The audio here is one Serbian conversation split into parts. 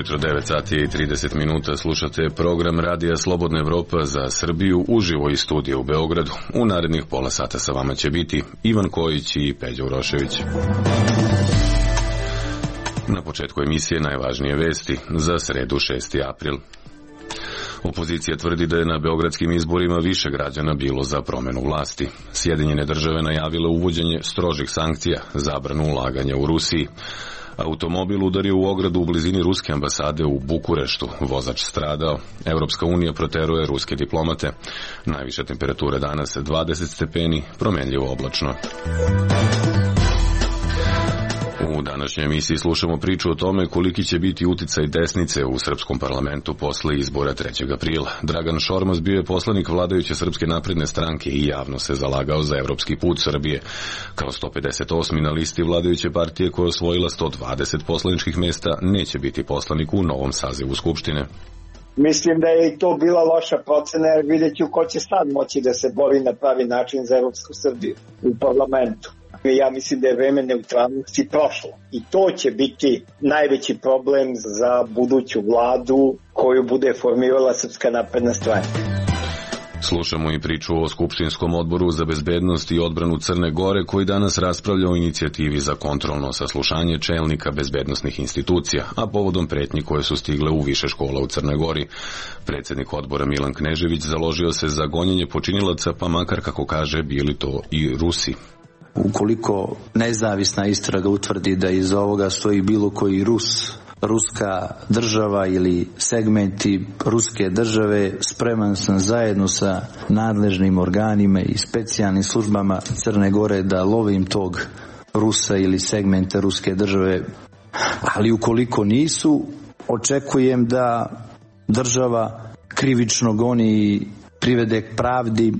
Jutro 9 sati i 30 minuta slušate program Radija Slobodna Evropa za Srbiju uživo iz studija u Beogradu. U narednih pola sata sa vama će biti Ivan Kojić i Peđa Urošević. Na početku emisije najvažnije vesti za sredu 6. april. Opozicija tvrdi da je na beogradskim izborima više građana bilo za promenu vlasti. Sjedinjene države najavile uvođenje strožih sankcija, zabranu ulaganja u Rusiji. Automobil udario u ogradu u blizini ruske ambasade u Bukureštu. Vozač stradao. Evropska unija proteruje ruske diplomate. Najviša temperatura danas 20 stepeni, promenljivo oblačno. U današnjoj emisiji slušamo priču o tome koliki će biti uticaj desnice u srpskom parlamentu posle izbora 3. aprila. Dragan Šormaz bio je poslanik vladajuće Srpske napredne stranke i javno se zalagao za evropski put Srbije. Kao 158. na listi vladajuće partije koja je osvojila 120 poslaničkih mesta, neće biti poslanik u novom sazivu Skupštine. Mislim da je i to bila loša procena, jer vidjet ću ko će sad moći da se bori na pravi način za Evropsku Srbiju u parlamentu. Ja mislim da je vreme neutralnosti prošlo i to će biti najveći problem za buduću vladu koju bude formirala Srpska napredna stranka. Slušamo i priču o Skupštinskom odboru za bezbednost i odbranu Crne Gore koji danas raspravlja o inicijativi za kontrolno saslušanje čelnika bezbednosnih institucija, a povodom pretnji koje su stigle u više škola u Crnoj Gori. Predsjednik odbora Milan Knežević založio se za gonjenje počinilaca, pa makar, kako kaže, bili to i Rusi. Ukoliko nezavisna istraga utvrdi da iza ovoga stoji bilo koji Rus, ruska država ili segmenti ruske države, spreman sam zajedno sa nadležnim organima i specijalnim službama Crne Gore da lovim tog Rusa ili segmente ruske države. Ali ukoliko nisu, očekujem da država krivično goni i privede k pravdi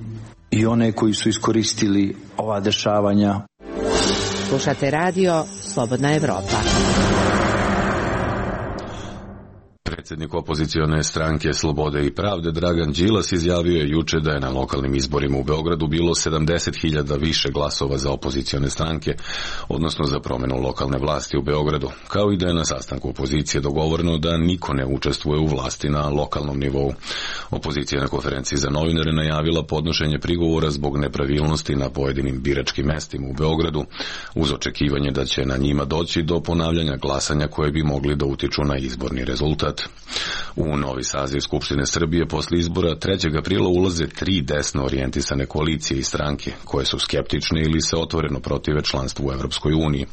i one koji su iskoristili ova dešavanja. Slušate radio Slobodna Evropa. Predsjednik opozicione stranke Slobode i pravde Dragan Đilas izjavio je juče da je na lokalnim izborima u Beogradu bilo 70.000 više glasova za opozicione stranke, odnosno za promjenu lokalne vlasti u Beogradu, kao i da je na sastanku opozicije dogovoreno da niko ne učestvuje u vlasti na lokalnom nivou. Opozicija na konferenciji za novinare najavila podnošenje prigovora zbog nepravilnosti na pojedinim biračkim mestima u Beogradu, uz očekivanje da će na njima doći do ponavljanja glasanja koje bi mogli da utiču na izborni rezultat. U novi saziv Skupštine Srbije posle izbora 3. aprila ulaze 3 desno orijentisane koalicije i stranke koje su skeptične ili se otvoreno protive članstvu u Evropskoj uniji.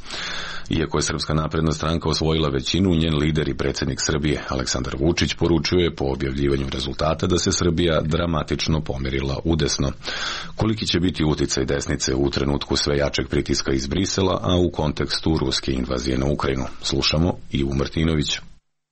Iako je Srpska napredna stranka osvojila većinu, njen lider i predsjednik Srbije Aleksandar Vučić poručuje po objavljivanju rezultata da se Srbija dramatično pomerila udesno. Koliki će biti uticaj desnice u trenutku sve jačeg pritiska iz Brisela, a u kontekstu ruske invazije na Ukrajinu? Slušamo Ivu Martinović.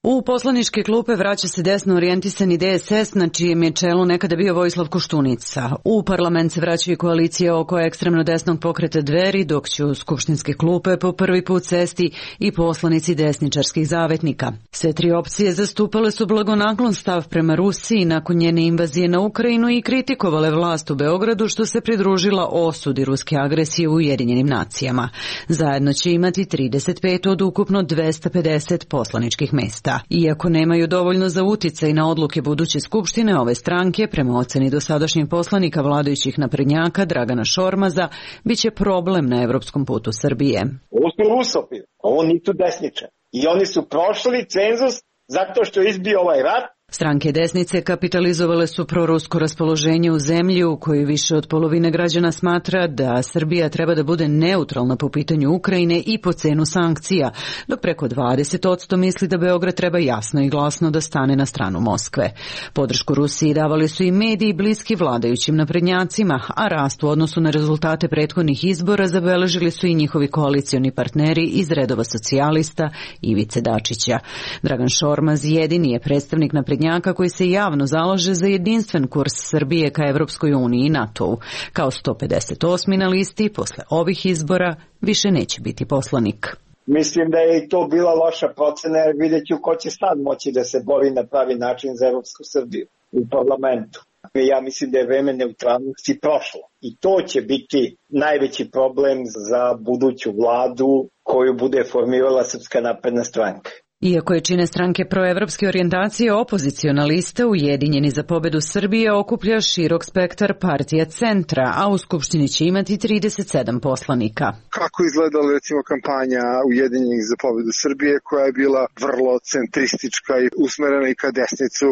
U poslaničke klupe vraća se desno orijentisani DSS, na čijem je čelu nekada bio Vojislav Koštunica. U parlament se vraća i koalicija oko ekstremno desnog pokreta Dveri, dok će u skupštinske klupe po prvi put sesti i poslanici desničarskih zavetnika. Sve 3 opcije zastupale su blagonaklon stav prema Rusiji nakon njene invazije na Ukrajinu i kritikovale vlast u Beogradu što se pridružila osudi ruske agresije u Ujedinjenim nacijama. Zajedno će imati 35 od ukupno 250 poslaničkih mesta. Iako nemaju dovoljno za uticaj na odluke buduće skupštine, ove stranke, prema oceni dosadašnjih poslanika vladajućih naprednjaka Dragana Šormaza, bit će problem na evropskom putu Srbije. Ovo su rusofili, ovo nisu desničari. I oni su prošli cenzus zato što je izbio ovaj rat. Stranke desnice kapitalizovale su prorusko raspoloženje u zemlji u kojoj više od polovine građana smatra da Srbija treba da bude neutralna po pitanju Ukrajine i po cenu sankcija, dok preko 20% misli da Beograd treba jasno i glasno da stane na stranu Moskve. Podršku Rusiji davali su i mediji bliski vladajućim naprednjacima, a rast u odnosu na rezultate prethodnih izbora zabeležili su i njihovi koalicioni partneri iz redova socijalista Ivice Dačića. Dragan Šormaz jedini je predstavnik naprednjaka koji se javno zalaže za jedinstven kurs Srbije ka Evropskoj uniji i NATO-u. Kao 158. na listi, posle ovih izbora više neće biti poslanik. Mislim da je i to bila loša procena, jer vidjet ću ko će sad moći da se bori na pravi način za Evropsku Srbiju u parlamentu. Ja mislim da je vreme neutralnosti prošlo i to će biti najveći problem za buduću vladu koju bude formirala Srpska napredna stranka. Iako je čine stranke proevropske orijentacije, opoziciona lista Ujedinjeni za pobedu Srbije okuplja širok spektar partija centra, a u Skupštini će imati 37 poslanika. Kako izgledala recimo kampanja Ujedinjenih za pobedu Srbije, koja je bila vrlo centristička i usmerena i ka desnicu,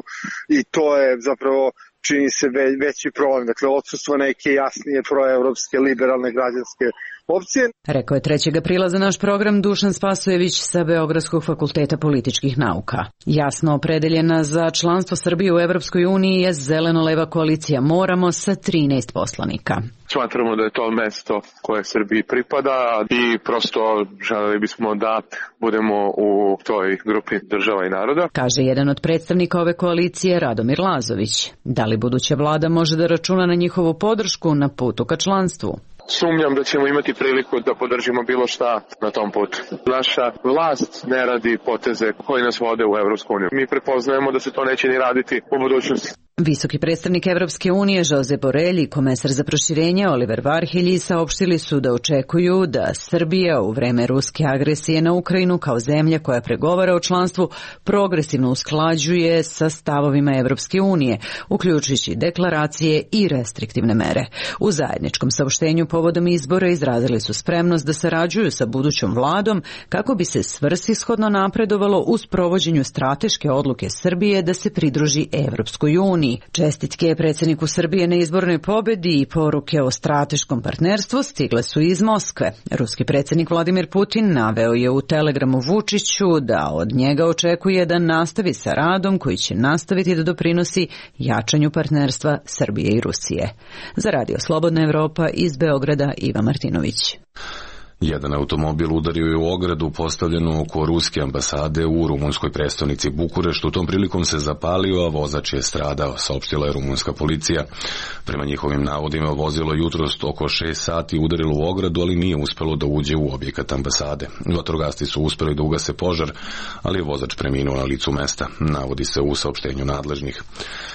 i to je zapravo čini se veći problem. Dakle, odsustvo neke jasnije proevropske, liberalne građanske opcije. Rekao je 3. aprila za naš program Dušan Spasojević sa Beogradskog fakulteta političkih nauka. Jasno opredeljena za članstvo Srbije u Evropskoj uniji je zeleno-leva koalicija Moramo sa 13 poslanika. Smatramo da je to mesto koje Srbiji pripada i prosto želeli bismo da budemo u toj grupi država i naroda. Kaže jedan od predstavnika ove koalicije, Radomir Lazović. Da li buduća vlada može da računa na njihovu podršku na putu ka članstvu? Sumnjam da ćemo imati priliku da podržimo bilo šta na tom putu. Naša vlast ne radi poteze koji nas vode u Evropsku uniju. Mi prepoznajemo da se to neće ni raditi u budućnosti. Visoki predstavnik Evropske unije Josep Borrell i komesar za proširenje Oliver Varhelji saopštili su da očekuju da Srbija u vreme ruske agresije na Ukrajinu kao zemlja koja pregovara o članstvu progresivno usklađuje sa stavovima Evropske unije, uključujući deklaracije i restriktivne mere. U zajedničkom saopštenju povodom izbora izrazili su spremnost da sarađuju sa budućom vladom kako bi se svrsishodno napredovalo u sprovođenju strateške odluke Srbije da se pridruži Evropskoj uniji. Čestitke predsjedniku Srbije na izbornoj pobedi i poruke o strateškom partnerstvu stigle su iz Moskve. Ruski predsjednik Vladimir Putin naveo je u telegramu Vučiću da od njega očekuje da nastavi sa radom koji će nastaviti da doprinosi jačanju partnerstva Srbije i Rusije. Za Radio Slobodna Evropa iz Beograda Iva Martinović. Jedan automobil udario je u ogradu postavljenu oko ruske ambasade u rumunskoj prestonici Bukureštu. Tom prilikom se zapalio, a vozač je stradao, saopštila je rumunska policija. Prema njihovim navodima, vozilo jutros oko 6 sati udarilo u ogradu, ali nije uspelo da uđe u objekat ambasade. Vatrogasci su uspeli da ugase požar, ali je vozač preminuo na licu mesta, navodi se u saopštenju nadležnih.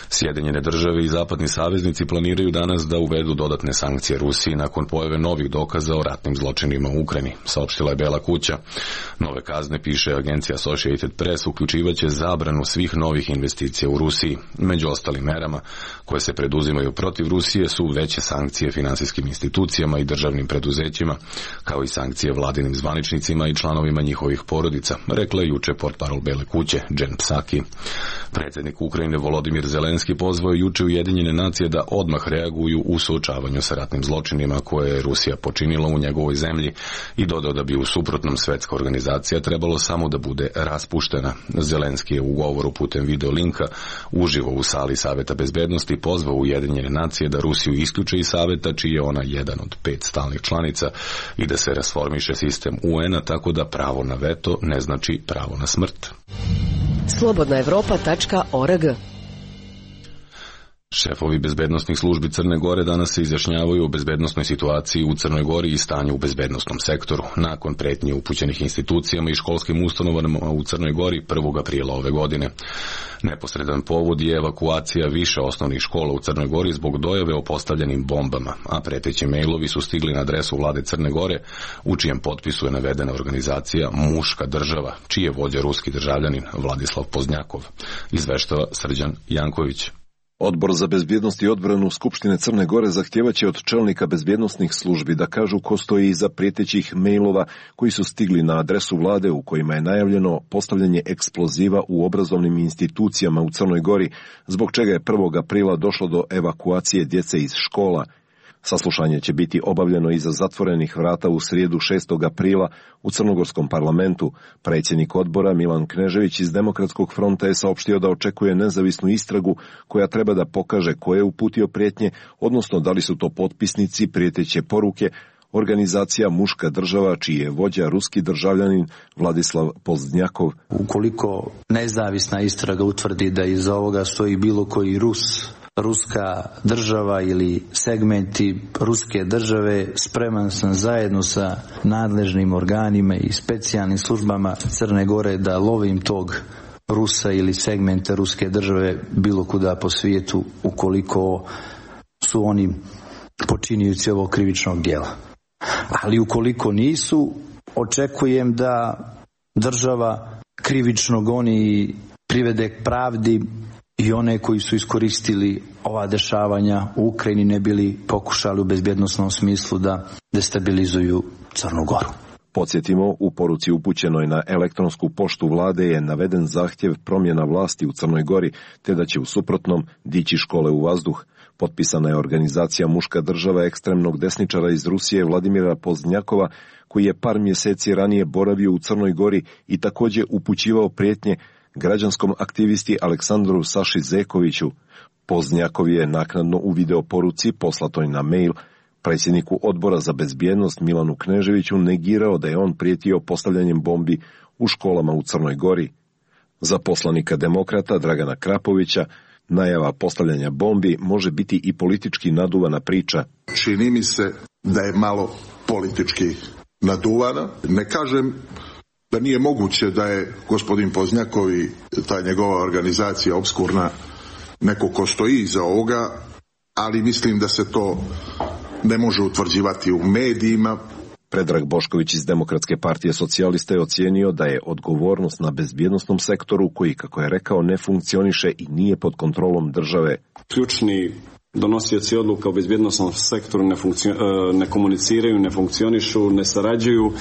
Sjedinjene države i zapadni saveznici planiraju danas da uvedu dodatne sankcije Rusiji nakon pojave novih dokaza o ratnim zločinima u Ukrajini, saopštila je Bela kuća. Nove kazne, piše agencija Associated Press, uključivaće zabranu svih novih investicija u Rusiji. Među ostalim merama koje se preduzimaju protiv Rusije su veće sankcije finansijskim institucijama i državnim preduzećima, kao i sankcije vladinim zvaničnicima i članovima njihovih porodica, rekla je juče portparol Bele kuće Jen Psaki. Predsjednik Ukrajine Volodimir Zelenski pozvao juče Ujedinjene nacije da odmah reaguju u suočavanju sa ratnim zločinima koje je Rusija počinila u njegovoj zemlji i dodao da bi u suprotnom svetska organizacija trebalo samo da bude raspuštena. Zelenski je u govoru putem video linka uživo u sali Saveta bezbednosti pozvao Ujedinjene nacije da Rusiju isključe iz Saveta, čiji je ona jedan od 5 stalnih članica, i da se rasformiše sistem UN-a tako da pravo na veto ne znači pravo na smrt. slobodnaevropa.org. Šefovi bezbednosnih službi Crne Gore danas se izjašnjavaju o bezbednosnoj situaciji u Crnoj Gori i stanju u bezbednosnom sektoru, nakon pretnje upućenih institucijama i školskim ustanovama u Crnoj Gori 1. aprila ove godine. Neposredan povod je evakuacija više osnovnih škola u Crnoj Gori zbog dojave o postavljenim bombama, a preteći mejlovi su stigli na adresu vlade Crne Gore, u čijem potpisu je navedena organizacija Muška država, čiji je vođa ruski državljanin Vladislav Pozdnjakov, izveštava Srđan Janković. Odbor za bezbjednost i odbranu Skupštine Crne Gore zahtjevaće od čelnika bezbjednosnih službi da kažu ko stoji iza prijetećih mejlova koji su stigli na adresu vlade u kojima je najavljeno postavljanje eksploziva u obrazovnim institucijama u Crnoj Gori, zbog čega je 1. aprila došlo do evakuacije djece iz škola. Saslušanje će biti obavljeno iza zatvorenih vrata u srijedu 6. aprila u Crnogorskom parlamentu. Predsjednik odbora Milan Knežević iz Demokratskog fronta je saopštio da očekuje nezavisnu istragu koja treba da pokaže ko je uputio prijetnje, odnosno da li su to potpisnici prijeteće poruke, organizacija Muška država, čiji je vođa ruski državljanin Vladislav Pozdnjakov. Ukoliko nezavisna istraga utvrdi da iza ovoga stoji bilo koji ruska država ili segmenti ruske države, spreman sam zajedno sa nadležnim organima i specijalnim službama Crne Gore da lovim tog Rusa ili segmente ruske države bilo kuda po svijetu ukoliko su oni počinioci ovog krivičnog djela. Ali ukoliko nisu, očekujem da država krivično goni i privede pravdi i one koji su iskoristili ova dešavanja u Ukrajini ne bili pokušali u bezbjednosnom smislu da destabilizuju Crnu Goru. Podsjetimo, u poruci upućenoj na elektronsku poštu vlade je naveden zahtjev promjena vlasti u Crnoj Gori, te da će u suprotnom dići škole u vazduh. Potpisana je organizacija Muška država ekstremnog desničara iz Rusije Vladimira Poznjakova, koji je par mjeseci ranije boravio u Crnoj Gori i također upućivao prijetnje građanskom aktivisti Aleksandru Saši Zekoviću. Poznjakov je naknadno u video poruci poslatoj na mail predsjedniku odbora za bezbjednost Milanu Kneževiću negirao da je on prijetio postavljanjem bombi u školama u Crnoj Gori. Za poslanika demokrata Dragana Krapovića najava postavljanja bombi može biti i politički naduvana priča. Čini mi se da je malo politički naduvana. Ne kažem da nije moguće da je gospodin Poznjakov i ta njegova organizacija opskurna neko ko stoji iza ovoga, ali mislim da se to ne može utvrđivati u medijima. Predrag Bošković iz Demokratske partije socijalista je ocijenio da je odgovornost na bezbjednosnom sektoru koji, kako je rekao, ne funkcioniše i nije pod kontrolom države. Ključni donosioci odluka u bezbjednosnom sektoru ne komuniciraju, ne funkcionišu, ne sarađuju,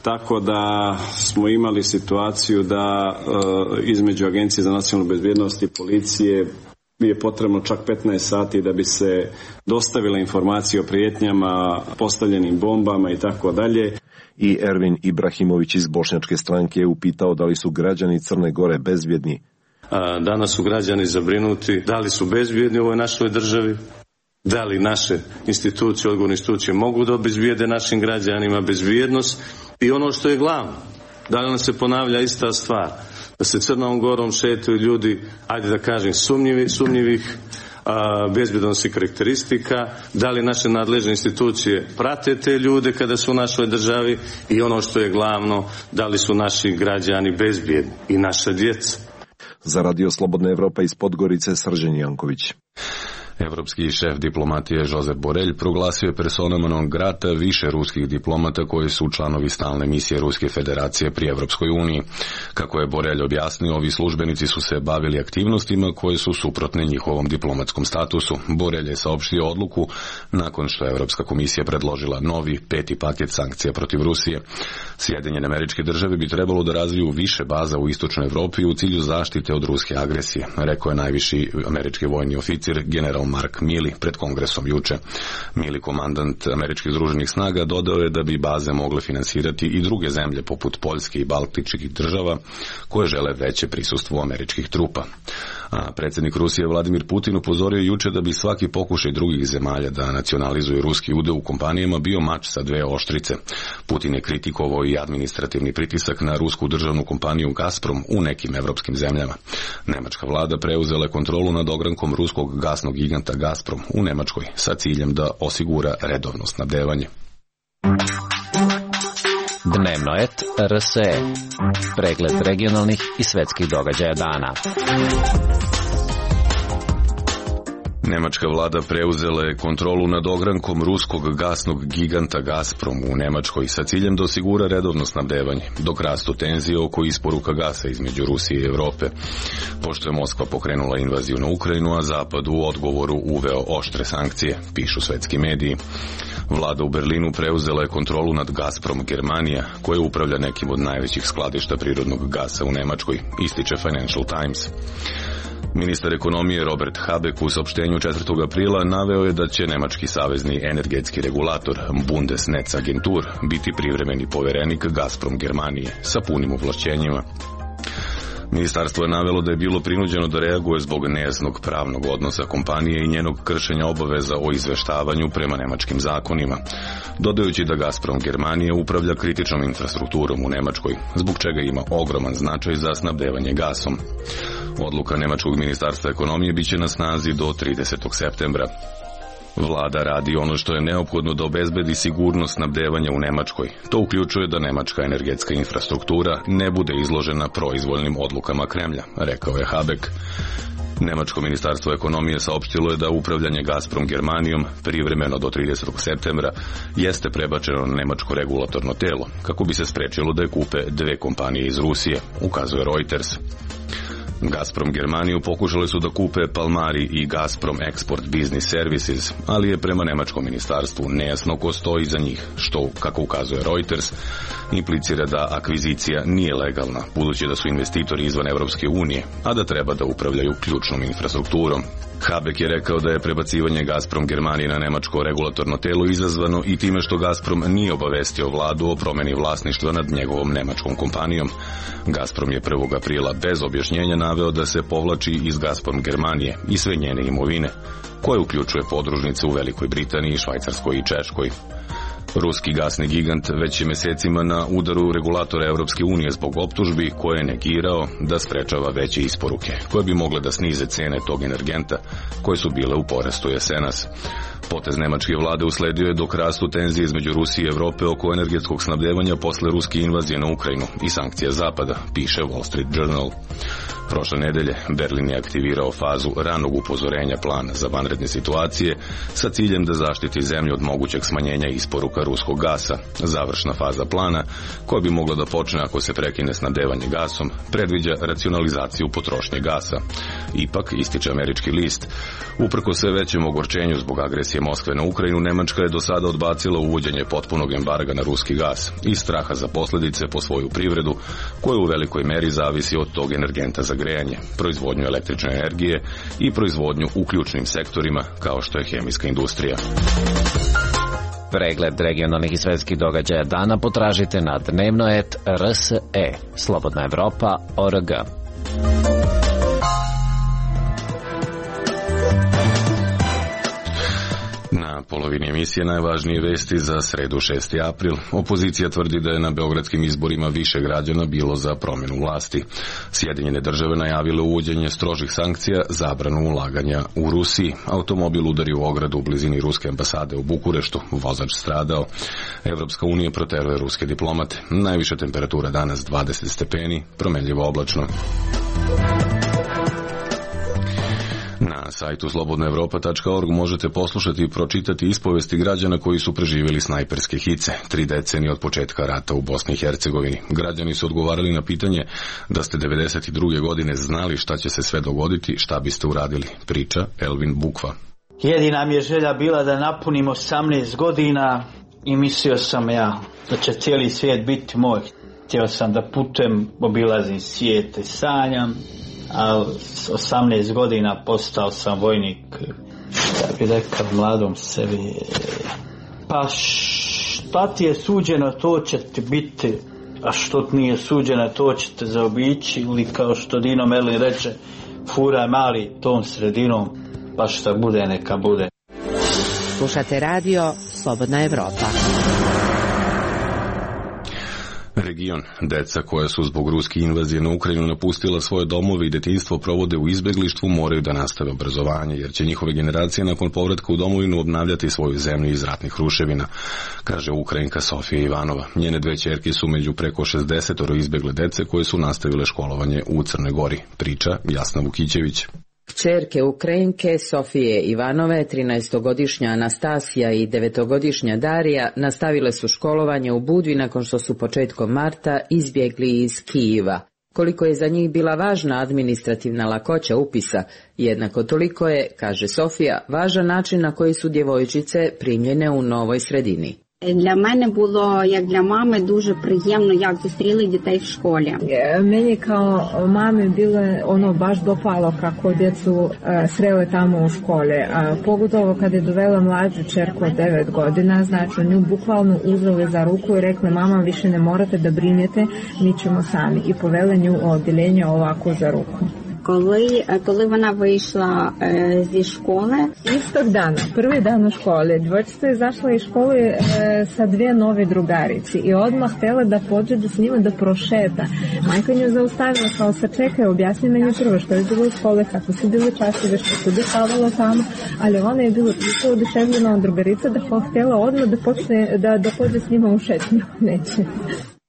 tako da smo imali situaciju da između Agencije za nacionalnu bezbjednost i policije je potrebno čak 15 sati da bi se dostavila informacija o prijetnjama, postavljenim bombama i tako dalje. I Ervin Ibrahimović iz Bošnjačke stranke je upitao da li su građani Crne Gore bezbjedni. Danas su građani zabrinuti da li su bezbjedni u ovoj našoj državi, da li naše institucije, odgovorne institucije mogu da obezbijede našim građanima bezbjednost i ono što je glavno, da li nam se ponavlja ista stvar, da se Crnom Gorom šetaju ljudi, ajde da kažem, sumnjivih bezbjednosnih karakteristika, da li naše nadležne institucije prate te ljude kada su u našoj državi i ono što je glavno, da li su naši građani bezbjedni i naša djeca. Za Radio Slobodna Evropa iz Podgorice, Srđan Janković. Evropski šef diplomatije Josep Borelj proglasio je persona non grata više ruskih diplomata koji su članovi stalne misije Ruske federacije pri Evropskoj uniji. Kako je Borelj objasnio, ovi službenici su se bavili aktivnostima koje su suprotne njihovom diplomatskom statusu. Borelj je saopštio odluku nakon što je Evropska komisija predložila novi 5. paket sankcija protiv Rusije. Sjedinjene Američke Države bi trebalo da razviju više baza u istočnoj Evropi u cilju zaštite od ruske agresije, rekao je najviši američki vojni oficir general Mark Milley pred kongresom juče. Milley, komandant američkih združenih snaga, dodao je da bi baze mogle finansirati i druge zemlje poput Poljske i baltičkih država koje žele veće prisustvo američkih trupa. A predsjednik Rusije Vladimir Putin upozorio juče da bi svaki pokušaj drugih zemalja da nacionalizuju ruski udeo u kompanijama bio mač sa dve oštrice. Putin je kritikovao i administrativni pritisak na rusku državnu kompaniju Gazprom u nekim evropskim zemljama. Nemačka vlada preuzela je kontrolu nad ogrankom ruskog gasnog giganta Gazprom u Nemačkoj sa ciljem da osigura redovno snabdevanje. Dnevnoet RSE. Pregled regionalnih i svetskih događaja dana. Nemačka vlada preuzela je kontrolu nad ogrankom ruskog gasnog giganta Gazprom u Nemačkoj sa ciljem da osigura redovno snabdevanje, dok rastu tenzije oko isporuka gasa između Rusije i Europe. Pošto je Moskva pokrenula invaziju na Ukrajinu, a Zapad u odgovoru uveo oštre sankcije, pišu svetski mediji. Vlada u Berlinu preuzela je kontrolu nad Gazprom Germanija, koja upravlja nekim od najvećih skladišta prirodnog gasa u Nemačkoj, ističe Financial Times. Ministar ekonomije Robert Habeck u saopštenju 4. aprila naveo je da će nemački savezni energetski regulator Bundesnetzagentur biti privremeni poverenik Gazprom Germanije sa punim ovlašćenjima. Ministarstvo je navelo da je bilo prinuđeno da reaguje zbog nejasnog pravnog odnosa kompanije i njenog kršenja obaveza o izveštavanju prema nemačkim zakonima, dodajući da Gazprom Germanije upravlja kritičnom infrastrukturom u Nemačkoj, zbog čega ima ogroman značaj za snabdevanje gasom. Odluka Nemačkog ministarstva ekonomije biće na snazi do 30. septembra. Vlada radi ono što je neophodno da obezbedi sigurnost snabdevanja u Nemačkoj. To uključuje da nemačka energetska infrastruktura ne bude izložena proizvoljnim odlukama Kremlja, rekao je Habeck. Nemačko ministarstvo ekonomije saopštilo je da upravljanje Gazprom Germanijom privremeno do 30. septembra jeste prebačeno na nemačko regulatorno telo, kako bi se sprečilo da je kupe dve kompanije iz Rusije, ukazuje Reuters. Gazprom Germaniju pokušali su da kupe Palmari i Gazprom Export Business Services, ali je prema nemačkom ministarstvu nejasno ko stoji iza njih, što, kako ukazuje Reuters, implicira da akvizicija nije legalna, budući da su investitori izvan Evropske unije, a da treba da upravljaju ključnom infrastrukturom. Habeck je rekao da je prebacivanje Gazprom Germanije na nemačko regulatorno telo izazvano i time što Gazprom nije obavestio vladu o promeni vlasništva nad njegovom nemačkom kompanijom. Gazprom je 1. aprila bez objašnjenja naveo da se povlači iz Gazprom Germanije i sve njene imovine, koje uključuje podružnice u Velikoj Britaniji, Švajcarskoj i Češkoj. Ruski gasni gigant već je mesecima na udaru regulatora Evropske unije zbog optužbi koje je negirao da sprečava veće isporuke, koje bi mogle da snize cene tog energenta, koje su bile u porastu jesenas. Potez nemačke vlade usledio je dok rastu tenzije između Rusije i Evrope oko energetskog snabdevanja posle ruske invazije na Ukrajinu i sankcija Zapada, piše Wall Street Journal. Prošle nedelje Berlin je aktivirao fazu ranog upozorenja plana za vanredne situacije sa ciljem da zaštiti zemlju od mogućeg smanjenja isporuka ruskog gasa. Završna faza plana, koja bi mogla da počne ako se prekine snabdevanje gasom, predviđa racionalizaciju potrošnje gasa. Ipak, ističe američki list, uprko sve većem ogorčenju zbog agresije Moskve na Ukrajinu, Nemačka je do sada odbacila uvođenje potpunog embarga na ruski gas iz straha za posljedice po svoju privredu, koja u velikoj meri zavisi od tog energenta za grejanje, proizvodnju električne energije i proizvodnju u ključnim sektorima kao što je hemijska industrija. Pregled regionalnih i svetskih događaja dana potražite na dnevnoet.rse, Slobodna Evropa.org. Na polovini emisije najvažnije vesti za sredu 6. april. Opozicija tvrdi da je na beogradskim izborima više građana bilo za promjenu vlasti. Sjedinjene države najavile uvođenje strožih sankcija, zabranu ulaganja u Rusiji. Automobil udario u ogradu u blizini ruske ambasade u Bukureštu. Vozač stradao. Evropska unija proteruje ruske diplomate. Najviša temperatura danas 20 stepeni, promenljivo oblačno. Na sajtu slobodnaevropa.org možete poslušati i pročitati ispovesti građana koji su preživjeli snajperske hice 3 decenije od početka rata u Bosni i Hercegovini. Građani su odgovarali na pitanje da ste 92. godine znali šta će se sve dogoditi, šta biste uradili, priča Elvin Bukva. Jedina mi je želja bila da napunim 18 godina i mislio sam ja da će cijeli svijet biti moj. Htio sam da putujem, obilazim svijet i sanjam. A s 18 godina postao sam vojnik, da bi rekao mladom sebi, pa šta ti je suđeno to će ti biti, a što ti nije suđeno to će te zaobići, ili kao što Dino Merlin reče, furaj mali tom sredinom, pa šta bude neka bude. Slušate radio Slobodna Evropa. Region. Deca koja su zbog ruske invazije na Ukrajinu napustila svoje domove i detinjstvo provode u izbeglištvu moraju da nastave obrazovanje, jer će njihove generacije nakon povratka u domovinu obnavljati svoju zemlju iz ratnih ruševina, kaže Ukrajinka Sofija Ivanova. Njene dve ćerke su među preko 60 izbegle dece koje su nastavile školovanje u Crnoj Gori, priča Jasna Vukićević. Kćerke Ukrajinke Sofije Ivanove, 13-godišnja Anastasija i 9-godišnja Darija nastavile su školovanje u Budvi nakon što su početkom marta izbjegli iz Kijeva. Koliko je za njih bila važna administrativna lakoća upisa, jednako toliko je, kaže Sofija, važan način na koji su djevojčice primljene u novoj sredini. Для мене було, як для мами, дуже приємно, як зустріли дітей в школі. Meni kao mami bilo baš dopalo kako djecu srele tamo u škole. Pogotovo kad je dovela mlađu čerku od 9 godina, znači nju bukvalno uzeli za ruku i rekli mama više ne morate da brinete, mi ćemo sami. I povele nju u odjeljenje ovako za ruku. Коли вона вийшла зі школи. Istog dana, prvi dan u školi, djevojčica je izašla iz škole sa dvije nove drugarici i odmah htjela da pođe da s njima da prošeta. Majka nju zaustavila, kao sačekaj, objasni meni prvo što je bilo u škole, kako su bile časove, što se dešavalo tamo, ali ona je bila toliko oduševljena od drugarica da htjela odmah da počne da pođe s njima u šetnju. Neće.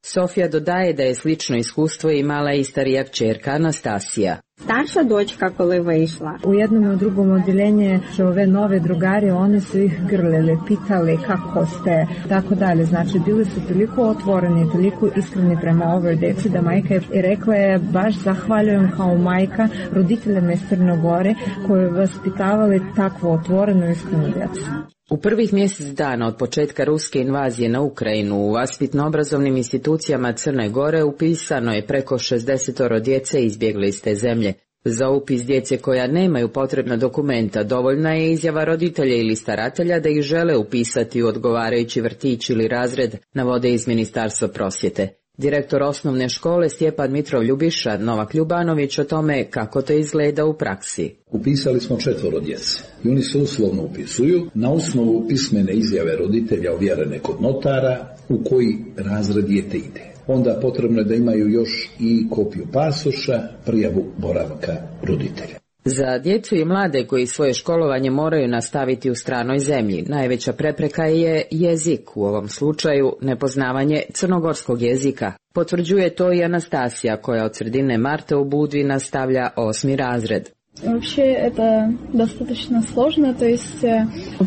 Sofija dodaje da je slično iskustvo imala i starija kćerka Anastasija. Старша дочка, коли вийшла. U jednom i u drugom odjeljenju ove nove drugari, oni su ih grlili, pitali kako ste, tako dalje. Znači, bili su toliko otvoreni, toliko iskreni prema ovoj djeci da majka je rekla je baš zahvaljujem kao majka roditeljima iz Crne Gore koji vaspitavali takvu otvorenu iskrenu djecu. U prvih mjesec dana od početka ruske invazije na Ukrajinu u vaspitno-obrazovnim institucijama Crne Gore upisano je preko 60 djece izbjegli iz te zemlje. Za upis djece koja nemaju potrebna dokumenta dovoljna je izjava roditelja ili staratelja da ih žele upisati u odgovarajući vrtić ili razred, navode iz Ministarstva prosvjete. Direktor osnovne škole Stjepan Mitrov Ljubiša Novak Ljubanović o tome kako to izgleda u praksi. Upisali smo 4 djece i oni se uslovno upisuju na osnovu pismene izjave roditelja ovjerene kod notara u koji razred dijete ide. Onda potrebno je da imaju još i kopiju pasoša, prijavu boravka roditelja. Za djecu i mlade koji svoje školovanje moraju nastaviti u stranoj zemlji, najveća prepreka je jezik, u ovom slučaju nepoznavanje crnogorskog jezika. Potvrđuje to i Anastasija koja od sredine marta u Budvi nastavlja 8. razred. Вообще это достаточно сложно, то есть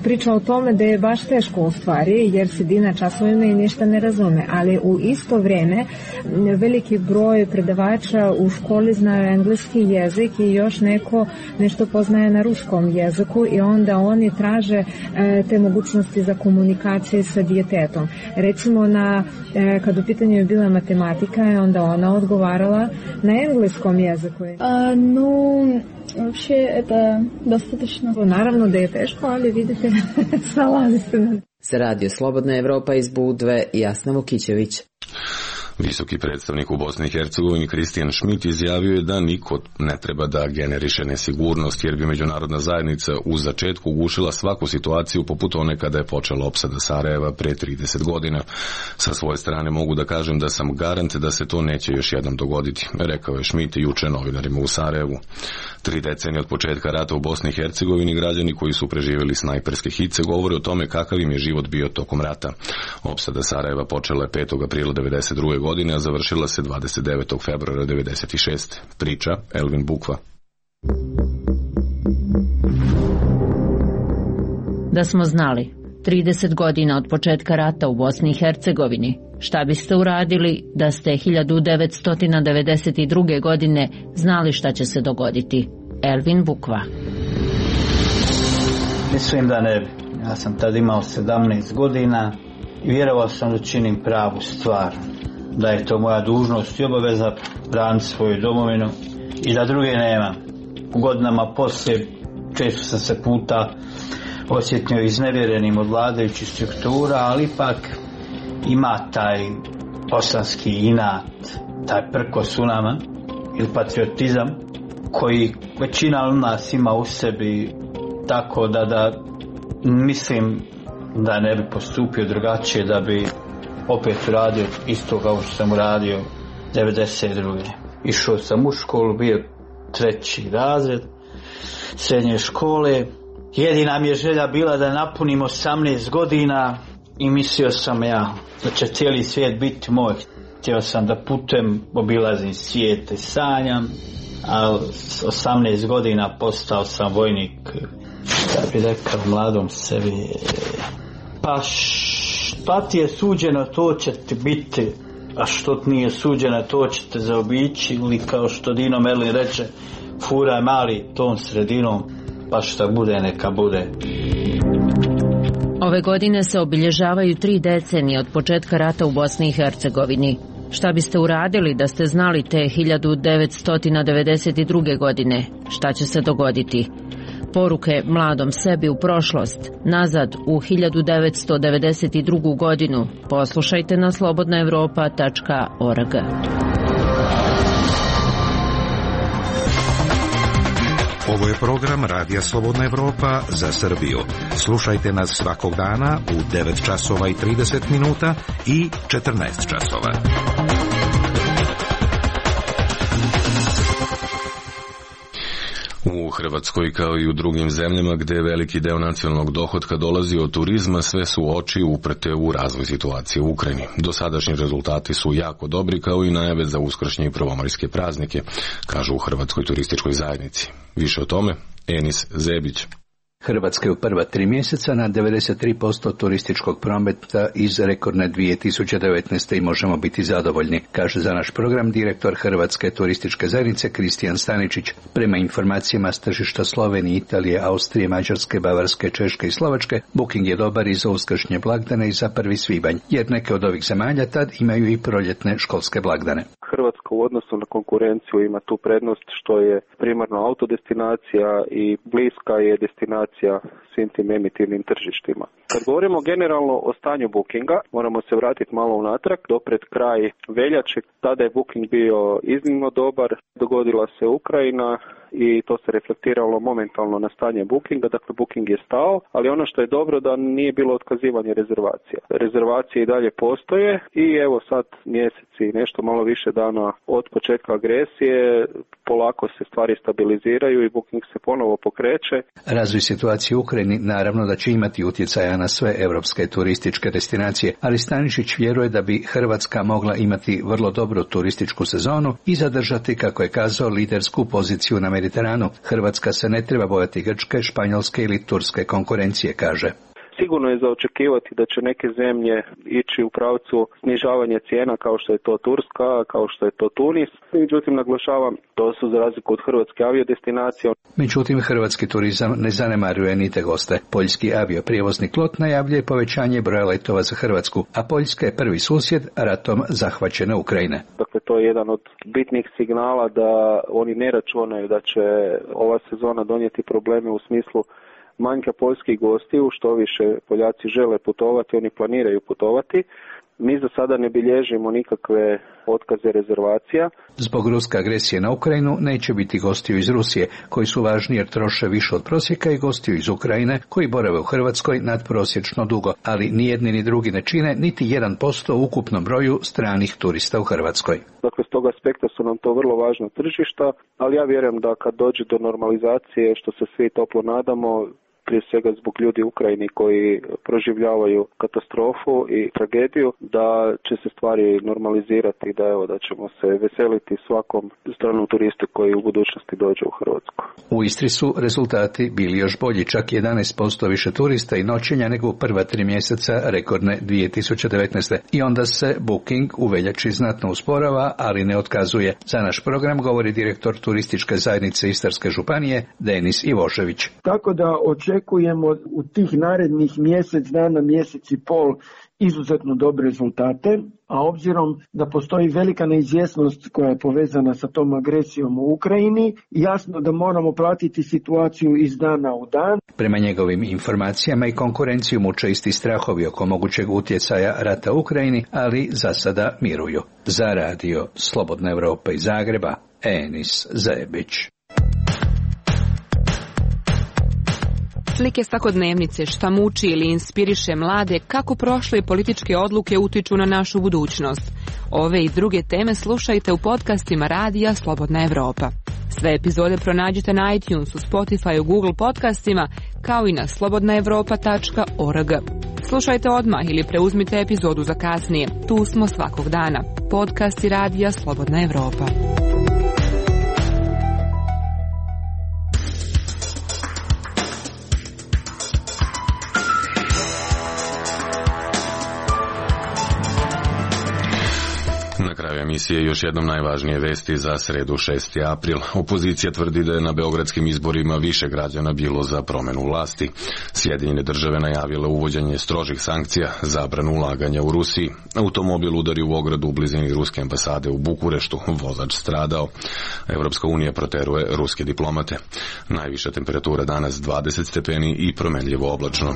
priča o tome da je baš teško u stvari jer sedi na časovima i ništa ne razume, ali u isto vrijeme veliki broj predavača u školi znaju engleski jezik i još nešto poznaje na ruskom jeziku i onda oni traže te mogućnosti za komunikaciju sa djetetom. Recimo kad u pitanju je bila matematika, onda ona odgovarala na engleskom jeziku. Вообще это достаточно. Naravno da je teško, ali vidite, snalazi se. Za Radio Slobodna Evropa iz Budve, Jasna Vukićević. Visoki predstavnik u Bosni i Hercegovini Kristijan Šmit izjavio je da niko ne treba da generiše nesigurnost jer bi međunarodna zajednica u začetku ugušila svaku situaciju poput one kada je počela opsada Sarajeva pre 30 godina. Sa svoje strane mogu da kažem da sam garant da se to neće još jednom dogoditi, rekao je Šmit juče novinarima u Sarajevu. 3 decenije od početka rata u Bosni i Hercegovini građani koji su preživjeli snajperske hice govore o tome kakav im je život bio tokom rata. Opsada Sarajeva počela je 5. aprila 1992. godine, a završila se 29. februara 1996. Priča Elvin Bukva. Da smo znali 30 godina od početka rata u Bosni i Hercegovini, šta biste uradili da ste 1992. godine znali šta će se dogoditi? Elvin Bukva. Mislim da ne bi. Ja sam tad imao 17 godina i vjerovao sam da činim pravu stvar. Da je to moja dužnost i obaveza braniti svoju domovinu i da druge nema. U godinama poslije često sam se puta osjetio iznevjerenim od vladajućih struktura, ali ipak ima taj bosanski inat, taj prkos u nama ili patriotizam koji većina od nas ima u sebi, tako da mislim da ne bi postupio drugačije, da bi opet uradio isto kao što sam uradio 1992. Išao sam u školu, bio 3. razred srednje škole. Jedina mi je želja bila da napunim 18 godina i mislio sam da će cijeli svijet biti moj. Htio sam da putujem, obilazim svijet i sanjam, a 18 godina postao sam vojnik. Da bi rekao mladom sebi, pa šta ti je suđeno, to će ti biti, a što ti nije suđeno, to će te zaobići, ili kao što Dino Merlin reče, furaj mali tom sredinom, pa šta bude, neka bude. Ove godine se obilježavaju 3 decenije od početka rata u Bosni i Hercegovini. Šta biste uradili da ste znali te 1992. godine? Šta će se dogoditi? Poruke mladom sebi u prošlost, nazad u 1992. godinu. Poslušajte na slobodnaevropa.org. Ovo je program Radija Slobodna Evropa za Srbiju. Slušajte nas svakog dana u 9 časova i 30 minuta i 14 časova. U Hrvatskoj kao i u drugim zemljama gde veliki deo nacionalnog dohotka dolazi od turizma, sve su oči uprte u razvoj situacije u Ukrajini. Dosadašnji rezultati su jako dobri, kao i najave za uskršnje i prvomajske praznike, kažu u Hrvatskoj turističkoj zajednici. Više o tome Enis Zebić. Hrvatska je u prva 3 mjeseca na 93% turističkog prometa iz rekordne 2019. i možemo biti zadovoljni, kaže za naš program direktor Hrvatske turističke zajednice Kristijan Staničić. Prema informacijama s tržišta Slovenije, Italije, Austrije, Mađarske, Bavarske, Češke i Slovačke, booking je dobar i za uskršnje blagdane i za 1. svibanj, jer neke od ovih zemalja tad imaju i proljetne školske blagdane. Hrvatska u odnosu na konkurenciju ima tu prednost što je primarno autodestinacija i bliska je destinacija svim tim emitivnim tržištima. Kad govorimo generalno o stanju bookinga, moramo se vratiti malo unatrag, do pred kraj veljače, tada je booking bio iznimno dobar, dogodila se Ukrajina i to se reflektiralo momentalno na stanje bookinga, dakle booking je stao, ali ono što je dobro da nije bilo otkazivanje rezervacija. Rezervacije i dalje postoje i evo sad mjeseci, nešto malo više dana od početka agresije, polako se stvari stabiliziraju i booking se ponovo pokreće. Razvoj situacije u Ukrajini naravno da će imati utjecaja na sve europske turističke destinacije, ali Stanišić vjeruje da bi Hrvatska mogla imati vrlo dobru turističku sezonu i zadržati, kako je kazao, lidersku poziciju na Mediteranu. Hrvatska se ne treba bojati grčke, španjolske ili turske konkurencije, kaže. Sigurno je za očekivati da će neke zemlje ići u pravcu snižavanja cijena kao što je to Turska, kao što je to Tunis. Međutim, naglašavam, to su za razliku od hrvatske aviodestinacije. Međutim, hrvatski turizam ne zanemaruje ni te goste. Poljski avioprijevoznik LOT najavljuje povećanje broja letova za Hrvatsku, a Poljska je prvi susjed ratom zahvaćene Ukrajine. Dakle, to je jedan od bitnih signala da oni ne računaju da će ova sezona donijeti probleme u smislu manjka poljskih gostiju, što više Poljaci žele putovati, oni planiraju putovati. Mi za sada ne bilježimo nikakve otkaze rezervacija. Zbog ruske agresije na Ukrajinu neće biti gostiju iz Rusije, koji su važni jer troše više od prosjeka, i gostiju iz Ukrajine, koji borave u Hrvatskoj nadprosječno dugo, ali ni jedni ni drugi ne čine niti 1% u ukupnom broju stranih turista u Hrvatskoj. Dakle, s tog aspekta su nam to vrlo važna tržišta, ali ja vjerujem da kad dođe do normalizacije, što se svi toplo nadamo, prije svega zbog ljudi u Ukrajini koji proživljavaju katastrofu i tragediju, da će se stvari normalizirati i da ćemo se veseliti svakom stranom turistu koji u budućnosti dođe u Hrvatsku. U Istri su rezultati bili još bolji, čak 11% više turista i noćenja nego u prva 3 mjeseca rekordne 2019. I onda se booking u veljači znatno usporava, ali ne otkazuje. Za naš program govori direktor turističke zajednice Istarske županije Denis Ivošević. Tako da očekujemo u tih narednih mjesec dana, mjesec i pol izuzetno dobre rezultate, a obzirom da postoji velika neizvjesnost koja je povezana sa tom agresijom u Ukrajini, jasno da moramo pratiti situaciju iz dana u dan. Prema njegovim informacijama i konkurenciju muče isti strahovi oko mogućeg utjecaja rata u Ukrajini, ali za sada miruju. Za radio Slobodna Evropa iz Zagreba, Enis Zebić. Slike svakodnevnice, šta muči ili inspiriše mlade, kako prošle političke odluke utiču na našu budućnost. Ove i druge teme slušajte u podcastima Radija Slobodna Evropa. Sve epizode pronađite na iTunesu, Spotify, Google podcastima, kao i na slobodnaevropa.org. Slušajte odmah ili preuzmite epizodu za kasnije. Tu smo svakog dana. Podcasti Radija Slobodna Evropa. Na kraju emisije još jednom najvažnije vesti za sredu 6. april. Opozicija tvrdi da je na beogradskim izborima više građana bilo za promjenu vlasti. Sjedinjene države najavile uvođenje strožih sankcija, zabranu ulaganja u Rusiji. Automobil udari u ogradu u blizini ruske ambasade u Bukureštu, vozač stradao. Evropska unija proteruje ruske diplomate. Najviša temperatura danas 20 stepeni i promenljivo oblačno.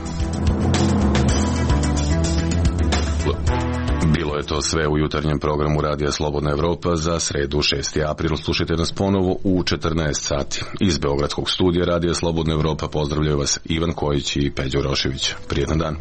Bilo je je to sve u jutarnjem programu Radija Slobodna Evropa za sredu 6. april. Slušajte nas ponovo u 14 sati. Iz Beogradskog studija Radija Slobodna Evropa pozdravljaju vas Ivan Kojić i Peđo Rošević. Prijetan dan.